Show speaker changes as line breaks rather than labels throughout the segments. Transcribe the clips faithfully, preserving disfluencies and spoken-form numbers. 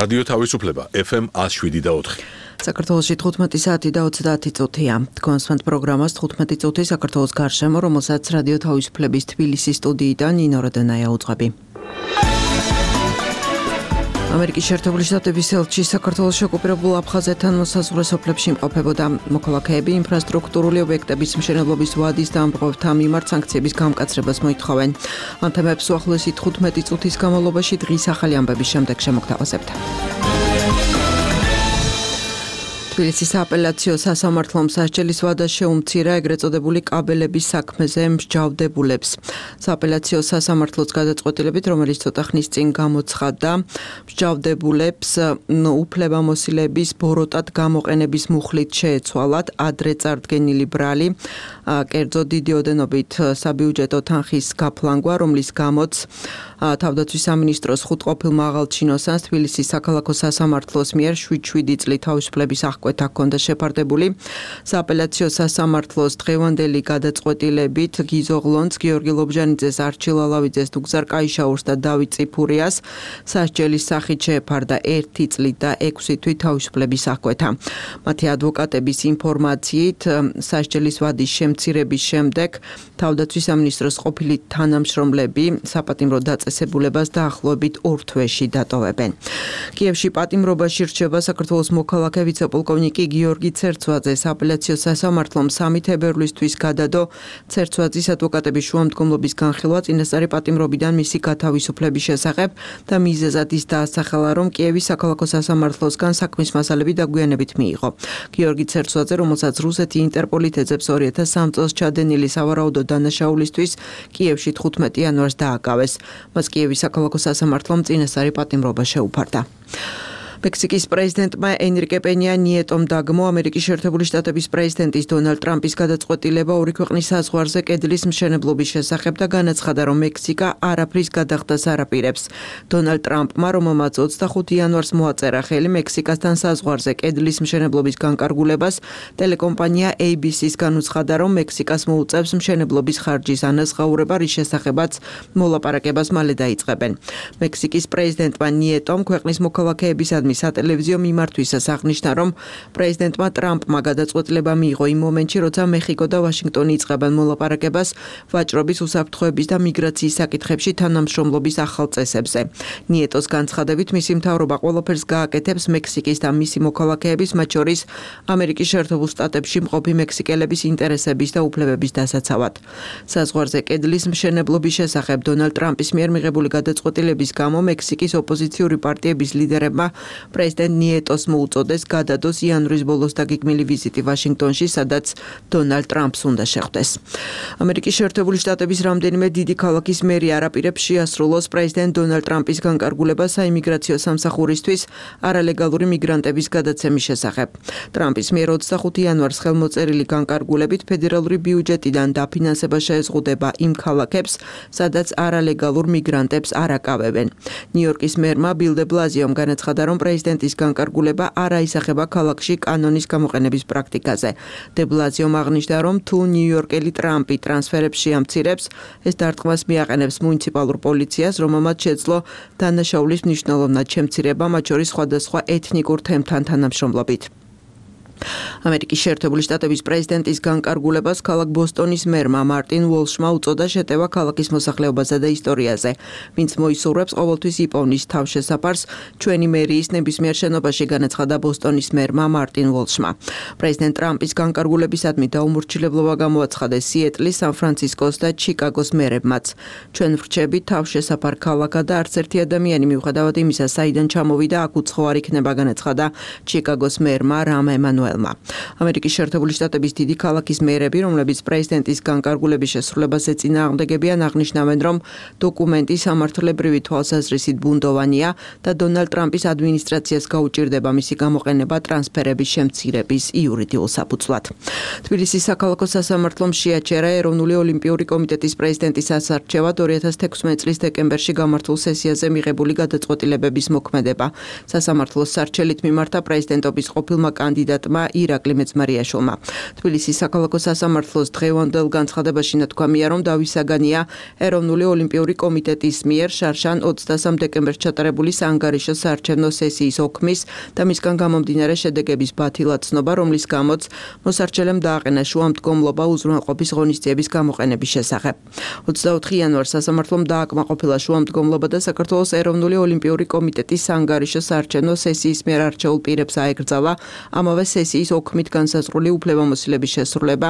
რადიო თავისუფლება ეფ ემ ათს შვიდი და ოთხი.
საქართველოში თხუთმეტი საათი და ოცდაათი წუთია. თქვენს პროგრამას თხუთმეტი წუთი საქართველოს გარშემო, რომელსაც რადიო თავისუფლების თბილისის სტუდიიდან ნინო როდენაია უძღვები. ამერიკის შეერთებული შტატების ელჩი საქართველოს ოკუპირებულ აფხაზეთთან მოსაზღვრე სოფლებში იმყოფებოდა. მოქალაქეები ინფრასტრუქტურული ობიექტების მშენებლობის ვადის დამპყრობთა მიმართ სანქციების გამკაცრებას მოითხოვენ. ამ თემებს უახლოესი თხუთმეტი წუთის განმავლობაში დღის ახალი ამბების შემდეგ შემოგთავაზებთ. თბილისის სააპელაციო სასამართლომ სასჯელის ვადა შეუმცირა ეგრეთ წოდებული კაბელების საქმეზე მსჯავრდებულებს. სააპელაციო სასამართლოს გადაწყვეტილებით, რომელიც ცოტა ხნის წინ გამოცხადდა, მსჯავრდებულებს უფლებამოსილების ბოროტად გამოყენების მუხლით შეეცვალათ ადრე წარდგენილი ბრალი, კერძო დიდი ოდენობით საბიუჯეტო თანხის გაფლანგვა, რომლის გამოც თავდაცვის სამინისტროს ხუთყოფილ მაღალჩინოსანს თბილისის საქალაქო სასამართლოს მიერ შვიდ-შვიდი წლით თავისუფლების აღკვეთა ჰქონდა შეფარდებული. სააპელაციო სასამართლოს დღევანდელი გადაწყვეტილებით გიზო ღლონც, გიორგი ლობჟანიძეს, არჩილ ალავიძეს, ნუგზარ კაიშაურს და დავით წიფურიას სასჯელის სახით შეეფარდა ერთი წლით და ექვსი თვით თავისუფლების აღკვეთა. მათი ადვოკატების ინფორმაციით, სასჯელის ვადის შემცირების შემდეგ თავდაცვის სამინისტროს ყოფილი თანამშრომლები საპატიმრო დაწესებულებას დაახლოებით ორ თვეში დატოვებენ. კიევში პატიმრობაში რჩება საქართველოს მოქალაქე ვიცე-პოლკოვნიკი გიორგი ცერცვაძე. სააპელაციო სასამართლომ სამი თებერვლისთვის გადადო ცერცვაძის ადვოკატების შუამდგომლობის განხილვა წინასწარი პატიმრობიდან მისი გათავისუფლების შესახებ და მიზეზად ის დაასახელა, რომ კიევის საქალაქო სასამართლოსგან საქმის მასალები დაგვიანებით მიიღო. გიორგი ცერცვაძე, რომელსაც რუსეთი ინტერპოლით ეძებს ორი ათას სამ წელს ჩადენილი სავარაუდო დანაშაულისთვის კიევში თხუთმეტი იანვარს დააკავეს. მას კიევის საქალაქო სასამართლომ წინასწარი პატიმრობა შეუფარდა. მექსიკის პრეზიდენტმა ენრიკე პენია ნიეტომ დაგმო ამერიკის შეერთებული შტატების პრეზიდენტის დონალდ ტრამპის გადაწყვეტილება ორი ქვეყნის საზღვარზე კედლის მშენებლობის შესახებ და განაცხადა, რომ მექსიკა არაფრის გადახდას არ აპირებს. დონალდ ტრამპმა, რომელმაც ოცდახუთი იანვარს მოაწერა ხელი მექსიკასთან საზღვარზე კედლის მშენებლობის განკარგულებას, ტელეკომპანია ეი ბი სი-ს განუცხადა, რომ მექსიკას მოუწევს მშენებლობის ხარჯის ანაზღაურება, რის შესახებაც მოლაპარაკებას მალე დაიწყებენ. მექსიკის პრეზიდენტმა ნიეტომ ქვეყნის მოქალაქეებისადმი სატელევიზიო მიმართვისას აღნიშნა, რომ პრეზიდენტმა ტრამპმა გადაწყვეტილება მიიღო იმ მომენტში, როცა მეხიკო და ვაშინგტონი იწყებენ მოლაპარაკებას ვაჭრობის, უსაფრთხოების და მიგრაციის საკითხებში თანამშრომლობის ახალ წესებზე. ნიეტოს განცხადებით, მისი მთავრობა ყველაფერს გააკეთებს მექსიკის და მისი მოქალაქეების, მათ შორის ამერიკის შეერთებულ შტატებში მყოფი მექსიკელების ინტერესების და უფლებების დასაცავად. საზღვარზე კედლის მშენებლობის შესახებ დონალდ ტრამპის მიერ მიღებული გადაწყვეტილების გამო მექსიკის ოპოზიციური პარტიების ლიდერებმა პრეზიდენტ ნიეტოს მოუწოდეს გადადოს იანვრის ბოლოს დაგეგმილი ვიზიტი ვაშინგტონში, სადაც დონალდ ტრამპს უნდა შეხვდეს. ამერიკის შეერთებული შტატების რამდენიმე დიდი ქალაქის მერი არ აპირებს შეასრულოს პრეზიდენტ დონალდ ტრამპის განკარგულებას საიმიგრაციო სამსახურისთვის არალეგალური მიგრანტების გადაცემის შესახებ. ტრამპის მიერ ოცდახუთი იანვარს ხელმოწერილი განკარგულებით ფედერალური ბიუჯეტიდან დაფინანსება შეეზღუდება იმ ქალაქებს, სადაც არალეგალურ მიგრანტებს არ აკავებენ. ნიუ-იორკის მერმა ბილ დე ბლაზიომ განაცხადა, რომ პრეზიდენტის განკარგულება არ აისახება ქალაქში კანონის გამოყენების პრაქტიკაზე. დე ბლაზიომ აღნიშნა, რომ თუ ნიუ-იორკელი ტრამპი ტრანსფერებს შეამცირებს, ეს დარტყმას მიაყენებს მუნიციპალურ პოლიციას, რომელმაც შეძლო დანაშაულის მნიშვნელოვნად შემცირება, მათ შორის სხვადასხვა ეთნიკურ თემთან თანამშრომლობით. ამერიკის შეერთებული შტატების პრეზიდენტის განკარგულებას ქალაქ ბოსტონის მერმა მარტინ უოლშმა უწოდა შეტევა ქალაქის მოსახლეობაზე და ისტორიაზე, ვინც მოისურვებს ყოველთვის იპოვნის თავშესაფარს ჩვენი მერიის ნებისმიერ შენობაში, განაცხადა ბოსტონის მერმა მარტინ უოლშმა. პრეზიდენტ ტრამპის განკარგულებისადმი დაუმორჩილებლობა გამოაცხადეს სიეტლის, სან-ფრანცისკოს და ჩიკაგოს მერებმაც. ჩვენ ვრჩებით თავშესაფარ ქალაქად და არც ერთი ადამიანი მიუხედავად იმისა, საიდან ჩამოვიდა, აქ უცხო არ იქნება, განაცხადა ჩიკაგოს მერმა რამ ემანუელმა. ამერიკის შეერთებული შტატების დიდი ქალაქის მერები, რომლებიც პრეზიდენტის განკარგულების შესრულებას ეწინააღმდეგებიან, აღნიშნავენ, რომ დოკუმენტი სამართლებრივი თვალსაზრისით ბუნდოვანია და დონალდ ტრამპის ადმინისტრაციას გაუჭირდება მისი გამოყენება ტრანსფერების შემცირების იურიდიულ საფუძვლად. თბილისის საქალაქო სასამართლომ შეაჩერა ეროვნული ოლიმპიური კომიტეტის პრეზიდენტის ასარჩევად ორი ათას თექვსმეტი წლის დეკემბერში გამართულ სესიაზე მიღებული გადაწყვეტილებების მოქმედება. სასამართლოს სარჩელით მიმართა პრეზიდენტობის ყოფილმა კანდიდატმა ministrმა ირაკლი მეწმარიაშვილმა. თბილისის საქალაქო სასამართლოს დღევანდელ განცხადებაში ნათქვამია, რომ დავის საგანია ეროვნული ოლიმპიური კომიტეტის მიერ შარშან ოცდასამ დეკემბერს ჩატარებული საანგარიშო საარჩევნო სესიის ოქმის და მისგან გამომდინარე შედეგების ბათილად ცნობა, რომლის გამოც მოსარჩელემ დააყენა შუამდგომლობა უზრუნველყოფის ღონისძიების გამოყენების შესახებ. ოცდაოთხი იანვარს სასამართლომ დააკმაყოფილა შუამდგომლობა და საქართველოს ეროვნული ოლიმპიური კომიტეტის საანგარიშო საარჩევნო სესიის მიერ არჩეულ პირებს აეკრძალა ამავე სესიის ოქმით განსაზღვრული უფლებამოსილების შესრულება,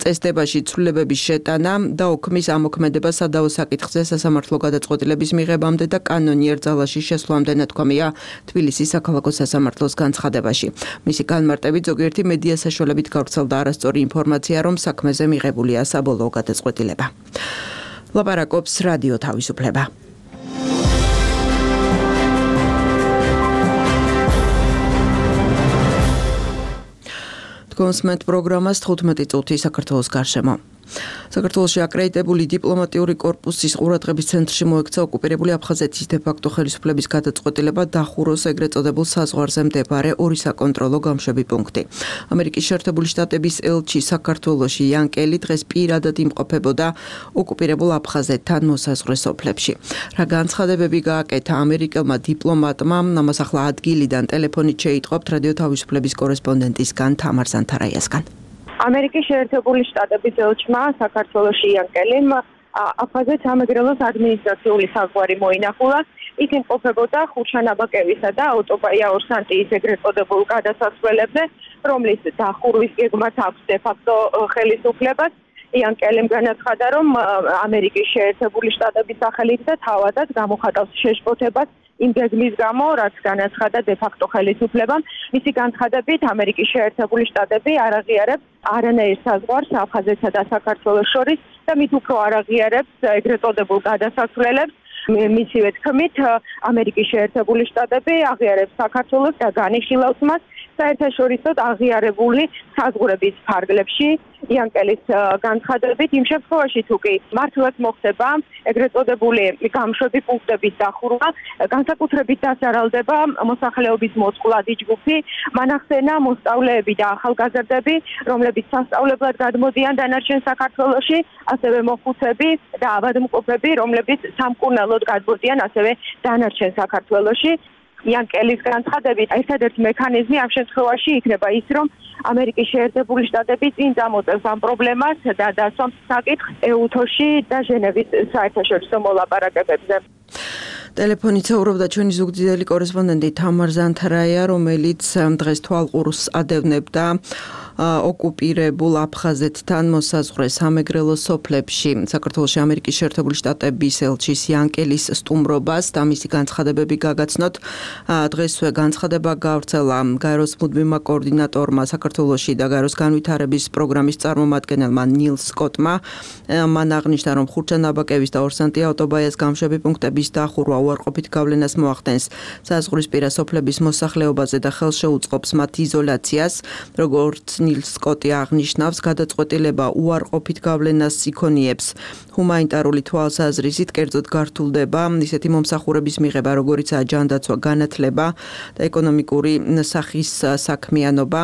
წესდებაში ცვლილებების შეტანა და ოქმის ამოქმედება სადავო საკითხზე სასამართლო გადაწყვეტილების მიღებამდე და კანონიერ ძალაში შესვლამდე ნათქვამია თბილისის საქალაქო სასამართლოს განცხადებაში. მისი განმარტებით ზოგიერთი მედია საშუალებით გავრცელდა არასწორი ინფორმაცია, რომ საქმეზე მიღებულია საბოლოო გადაწყვეტილება. ლაპარაკობს რადიო თავისუფლება. კონსმენტ პროგრამას თხუთმეტი წუთი საქართველოს გარშემო. საქართველოში აკრედიტებული დიპლომატიური კორპუსის ყურადღების ცენტრში მოექცა ოკუპირებული აფხაზეთის დე-ფაქტო ხელისუფლების გადაწყვეტილება დახუროს ეგრეთ წოდებულ საზღვარზე მდებარე ორი საკონტროლო გამშვები პუნქტი. ამერიკის შეერთებული შტატების ელჩი საქართველოში იან კელი დღეს პირადად იმყოფებოდა ოკუპირებულ აფხაზეთთან მოსაზღვრე სოფლებში. რა განცხადებები გააკეთა ამერიკელმა დიპლომატმა, ამას ახლა ადგილიდან ტელეფონით შეიტყობთ რადიო თავისუფლების კორესპონდენტისგან თამარ ზანთარაიასგან.
ამერიკის შეერთებული შტატების ელჩმა საქართველოში იან კელიმ აფხაზეთის სამეგრელოს ადმინისტრაციული საზღვარი მოინახულა. იქ იმყოფებოდა ხურშანაბაკევისა და ოტოპაია-ორსანტიის ეგრეთ წოდებულ გადასასვლელებზე, რომლის დახურვის გეგმაც აქვს დე-ფაქტო ხელისუფლებას. იან კელიმ განაცხადა, რომ ამერიკის შეერთებული შტატების სახელით და თავადაც გამოხატავს შეშფოთებას იმ გეგმის გამო, რაც განაცხადა დე-ფაქტო ხელისუფლებამ. მისი განცხადებით, ამერიკის შეერთებული შტატები არ აღიარებს არანაირ საზღვარს აფხაზეთსა და საქართველოს შორის და მით უფრო არ აღიარებს ეგრეთ წოდებულ გადასასვლელებს. მისივე თქმით, ამერიკის შეერთებული შტატები აღიარებს საქართველოს და განიხილავს მას საერთაშორისო აღიარებული საზღვრების ფარგლებში. იან კელის განცხადებით, იმ შემთხვევაში თუ კი მართლაც მოხდება ეგრეთ წოდებული გამშვები პუნქტების დახურვა, განსაკუთრებით დასარალდება მოსახლეობის მოწყვლადი ჯგუფი, მანახსენა მოსწავლეები და ახალგაზრდები, რომლებიც სასწავლებლად გადმოდიან დანარჩენ საქართველოში, ასევე მოხუცები და ავადმყოფები, რომლებიც სამკურნალოდ გადმოდიან ასევე დანარჩენ საქართველოში. იან კელის განცხადებით, ერთადერთი მექანიზმი ამ შემთხვევაში იქნება ის, რომ ამერიკის შეერთებული შტატები წინ წამოწევს ამ პრობლემას და დასვამს საკითხს ეუთოში და ჟენევის საერთაშორისო მოლაპარაკებებზე.
ტელეფონით საუბრობდა ჩვენი ზუგდიდელი კორესპონდენტი თამარ ზანთარაია, რომელიც დღეს თვალყურს ადევნებდა ოკუპირებულ აფხაზეთთან მოსაზღვრე სამეგრელოს სოფლებში საქართველოში ამერიკის შეერთებული შტატების ელჩის იან კელის სტუმრობას და მისი განცხადებები გაგაცნოთ. დღესვე განცხადება გავრცელა გაეროს მუდმივმა კოორდინატორმა საქართველოში და გაეროს განვითარების პროგრამის წარმომადგენელმა ნილ სკოტმა. მან აღნიშნა, რომ ხურჩანაბაკევის და ორსანტია ოტობაიას გამშვები პუნქტების დახურვა უარყოფით გავლენას მოახდენს საზღვრისპირა სოფლების მოსახლეობაზე და ხელშეუწყობს მათ იზოლაციას, როგორც ნილ სკოტი აღნიშნავს, გადაწყვეტილება უარყოფით გავლენას იქონიებს ჰუმანიტარული თვალსაზრისით, კერძოდ გართულდება ისეთი მომსახურების მიღება, როგორიცაა ჯანდაცვა, განათლება და ეკონომიკური სახის საქმიანობა.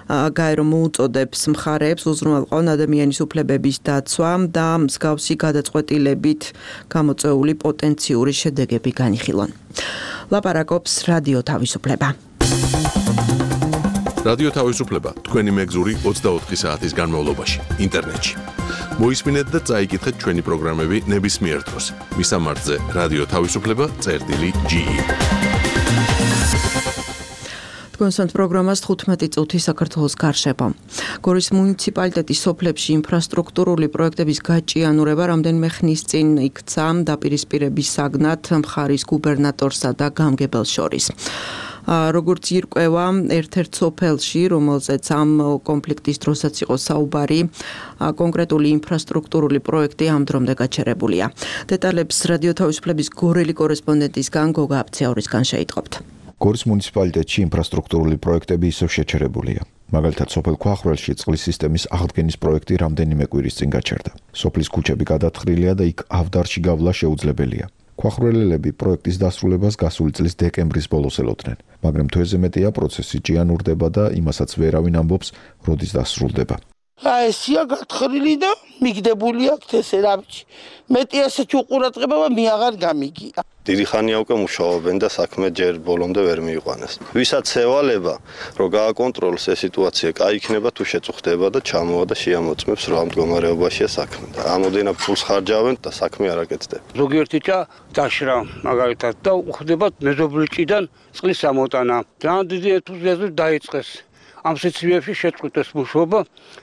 გაერო მოუწოდებს მხარეებს უზრუნველყონ ადამიანის უფლებების დაცვა და მსგავსი გადაწყვეტილებით გამოწვეული პოტენციური შედეგები განიხილონ. ლაპარაკობს რადიო თავისუფლება.
რადიო თავისუფლება თქვენი მეგზური ოცდაოთხი საათის განმავლობაში ინტერნეტში. მოისმინეთ და წაიკითხეთ ჩვენი პროგრამები ნებისმიერ დროს. მისამართზე რადიო თავისუფლება წერტილი ჯი ი.
კონსტანტ პროგრამას თხუთმეტი წუთი საქართველოს გარშემო. გორის მუნიციპალიტეტის სოფლებში ინფრასტრუქტურული პროექტების გაჭიანურება რამდენიმე ხნის წინ იქცა დაპირისპირების საგნად მხარის გუბერნატორსა და გამგებელს შორის. როგორც ირკვევა ერთ-ერთ სოფელში, რომელზეც ამ კონფლიქტის დროსაც იყო საუბარი, კონკრეტული ინფრასტრუქტურული პროექტი ამ დრომდე გაჩერებულია. დეტალებს რადიო თავისუფლების გორელი კორესპონდენტისგან გოგა აფციაურისგან შეიტყობთ.
გორის მუნიციპალიტეტში ინფრასტრუქტურული პროექტები ისევ შეჩერებულია. მაგალითად, სოფელ ქვახრელში წყლის სისტემის აღდგენის პროექტი რამდენიმე კვირის წინ გაჩერდა. სოფლის ქუჩები გადათხრილია და იქ ავდარში გავლა შეუძლებელია. ქვახრველელები პროექტის დასრულებას გასული წლის დეკემბრის ბოლოს ელოდნენ, მაგრამ თვეზე მეტია პროცესი ჭიანურდება და იმასაც ვერავინ ამბობს, როდის დასრულდება.
აი ესია გათხრილი და მიგდებული აქვს ესე რამჭი. მეტი ესეთი უყურადღება მე აღარ გამიგია.
დიდი ხანია უკვე მუშაობენ და საქმე ჯერ ბოლომდე ვერ მიიყვანეს. ვისაც ევალება, რომ გააკონტროლოს ეს სიტუაცია, კაი იქნება თუ შეწუხდება და ჩამოვა და შეამოწმებს რა მდგომარეობაშია საქმე. და ამოდენა ფულს ხარჯავენ და საქმე არ აკეთდება.
ზოგიერთი ჭა დაშრა მაგალითად და უხდებათ მეზობლჭიდან წყლის ამოტანა. ძალიან დიდი ენთუზიაზმით დაიწყეს. ამ სიცივეებში შეწყვიტეს მუშაობა,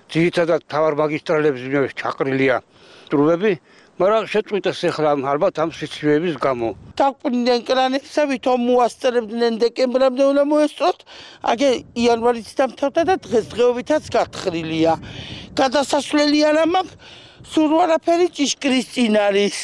ძირითადად მთავარ მაგისტრალებზე ჩაყრილია სტრუვები, მაგრამ შეწყვიტეს ახლა ალბათ ამ სიცივეების გამო.
დაყრდნენ კრანებსა, ვითომ მოასწრებდნენ დეკემბრამდე უნდა მოესწროთ, აგე იანვარიც დამთავრდა და დღესდღეობითაც გათხრილია. გადასასვლელი არ მაქვს, სულ არაფერი ჭიშკრის წინ არის.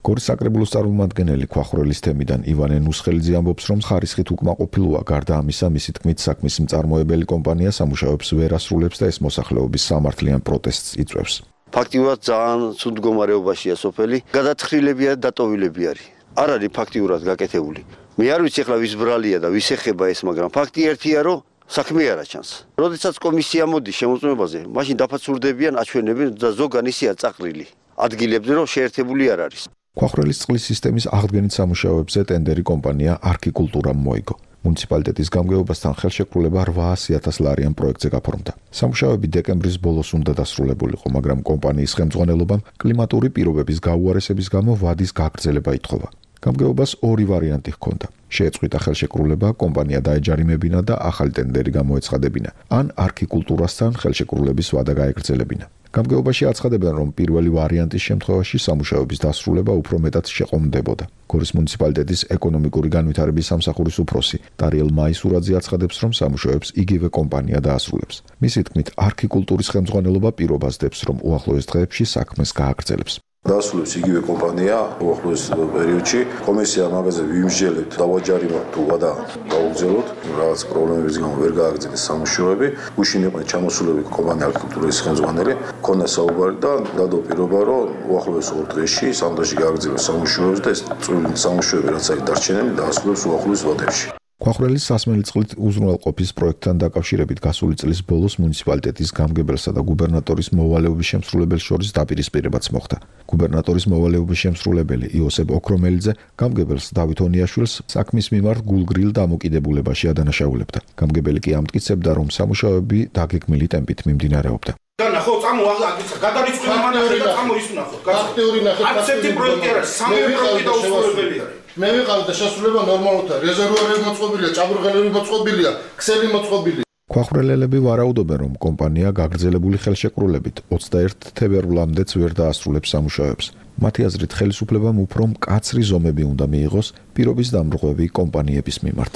გორის საკრებულოს წარმომადგენელი ქვახრველის თემიდან ივანე ნუსხელიძე ამბობს, რომ ხარისხით უკმაყოფილოა, გარდა ამისა, მისი თქმით, საქმის მწარმოებელი კომპანია სამუშაოებს ვერ ასრულებს და ეს მოსახლეობის სამართლიან პროტესტს იწვევს.
ფაქტიურად ძალიან ცუდ მდგომარეობაშია სოფელი, გადათხრილები და დატოვილები არის. არ არის ფაქტიურად გაკეთებული. მე არ ვიცი ახლა ვის ბრალია და ვის ეხება ეს, მაგრამ ფაქტი ერთია, რომ საქმე არ აჩანს. როდესაც კომისია მოდის შემოწმებაზე, მაშინ დაფაცურდებიან, აჩვენებენ და ზოგან ისეა წაყრილი. ადგილებზე რომ შეერთებული არ არის.
ქვახრველის წყლის სისტემის აღდგენით სამუშაოებზე ტენდერი კომპანია არქიკულტურამ მოიგო. მუნიციპალიტეტის გამგეობასთან ხელშეკრულება რვაასი ათას ლარიან პროექტზე გაფორმდა. სამუშაოები დეკემბრის ბოლოს უნდა დასრულებულიყო, მაგრამ კომპანიის ხელმძღვანელობამ კლიმატური პირობების გაუარესების გამო ვადის გაგრძელება ითხოვა. გამგეობას ორი ვარიანტი ჰქონდა. შეეწყვიტა ხელშეკრულება, კომპანია დაეჯარიმებინა და ახალი ტენდერი გამოეცხადებინა, ან არქიკულტურასთან ხელშეკრულების ვადა გაეგრძელებინა. გამგეობაში აცხადებენ, რომ პირველი ვარიანტის შემთხვევაში სამუშაოების დასრულება უფრო მეტად შეყომდებოდა. გორის მუნიციპალიტეტის ეკონომიკური განვითარების სამსახურის უფროსი დარიელ მაისურაძე აცხადებს, რომ სამუშაოებს იგივე კომპანია დაასრულებს. მისი თქმით, არქიკულტურის ხელმძღვანელობა პირობას დებს, რომ უახლოეს დღეებში საქმეს გააგრძელებს.
დასრულებს იგივე კომპანია უახლოეს პერიოდში. კომისია მაგაზე ვიმსჯელებთ, დავაჯარიმოთ თუ ვადა გავუგზავნოთ, რაღაც პრობლემების გამო ვერ გააგრძელეს სამუშაოები. გუშინ იყო ჩამოსულები კომპანია არქიტექტურის ხელმძღვანელი, ქონდა საუბარი და დადო პირობა, რომ უახლოეს ორ დღეში, სამ დღეში გააგრძელოს სამუშაოებს და ეს წვრილი სამუშაოები რაც არის დარჩენილი, დაასრულებს უახლოეს ვადებში.
ქვახრველის სასმელი წყლით უზრუნველყოფის პროექტთან დაკავშირებით გასული წლის ბოლოს მუნიციპალიტეტის გამგებელსა და გუბერნატორის მოვალეობის შემსრულებელს შორის დაპირისპირებაც მოხდა. გუბერნატორის მოვალეობის შემსრულებელი იოსებ ოქრომელიძე გამგებელს დავით ონიაშვილს საქმის მიმართ გულგრილ დამოკიდებულებაში ადანაშაულებდა. გამგებელი კი ამტკიცებდა, რომ სამუშაოები დაგეგმილი ტემპით მიმდინარეობდა.
ნახო, წამო აგიცა, გადარიცხული მანახე და წამო ის ნახო. ფაქტიური ნახე. აცეთი პროექტი არის, სამი პროექტი და უსრულებელი არის.
მე ვიყავ და შესრულება ნორმალურია, რეზერვუარები მოწყობილია, ჭაბურღელები მოწყობილია, ქსელი მოწყობილია.
ქვახრველელები ვარაუდობენ, რომ კომპანია გაგრძელებული ხელშეკრულებით ოცდაერთი თებერვლამდეც ვერ დაასრულებს სამუშაოებს. მათი აზრით, ხელისუფლებამ უფრო მკაცრი ზომები უნდა მიიღოს პირობის დამრღვევი კომპანიების მიმართ.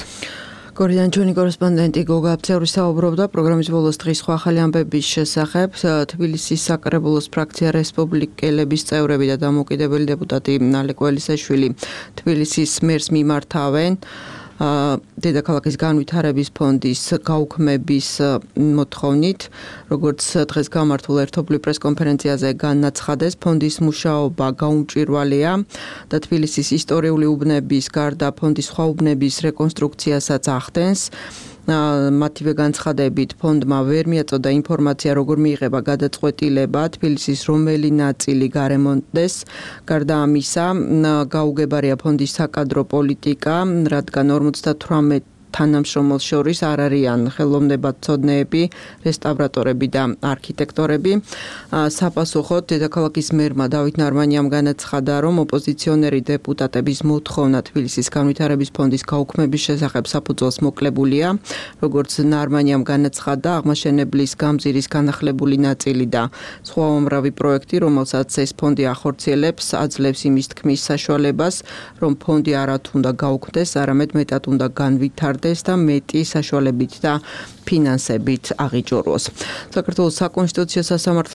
გორიდან ჩვენი კორესპონდენტი გოგა აბცევრი საუბრობდა პროგრამის ბოლოს დღის სხვა ახალი ამბების შესახებ. თბილისის საკრებულოს ფრაქცია რესპუბლიკელების წევრები და დამოუკიდებელი დეპუტატი ნალე კველისაშვილი თბილისის მერს მიმართავენ დედაქალაქის განვითარების ფონდის გაუქმების მოთხოვნით, როგორც დღეს გამართულ ერთობლივ პრესკონფერენციაზე განაცხადეს, ფონდის მუშაობა გაუმჭვირვალეა და თბილისის ისტორიული უბნების გარდა ფონდის სხვა უბნების რეკონსტრუქციასაც ახდენს. მათივე განცხადებით ფონდმა ვერ მიაწოდა ინფორმაცია, როგორ მიიღება გადაწყვეტილება თბილისის რომელი ნაწილი გარემონტდეს. გარდა ამისა, გაუგებარია ფონდის საკადრო პოლიტიკა, რადგან ორმოცდათვრამეტ თანამშრომელს შორის არ არიან ხელოვნებათმცოდნეები, რესტავრატორები და არქიტექტორები. საპასუხოდ დედაქალაქის მერმა დავით ნარმანიამ განაცხადა, რომ ოპოზიციონერი დეპუტატების მოთხოვნა თბილისის განვითარების ფონდის გაუქმების შესახებ საფუძველს მოკლებულია. როგორც ნარმანიამ განაცხადა, აღმაშენებლის გამზირის განახლებული ნაწილი და სხვა უამრავი პროექტი, რომელსაც ეს ფონდი ახორციელებს, აძლევს იმის თქმის საშუალებას, რომ ფონდი არა თუ უნდა გაუქმდეს, არამედ მეტად უნდა განვითარდეს და მეტი საშუალებით და ფინანსებით აღიჭუროს. საქართველოს საკონსტიტუციო სასამართლო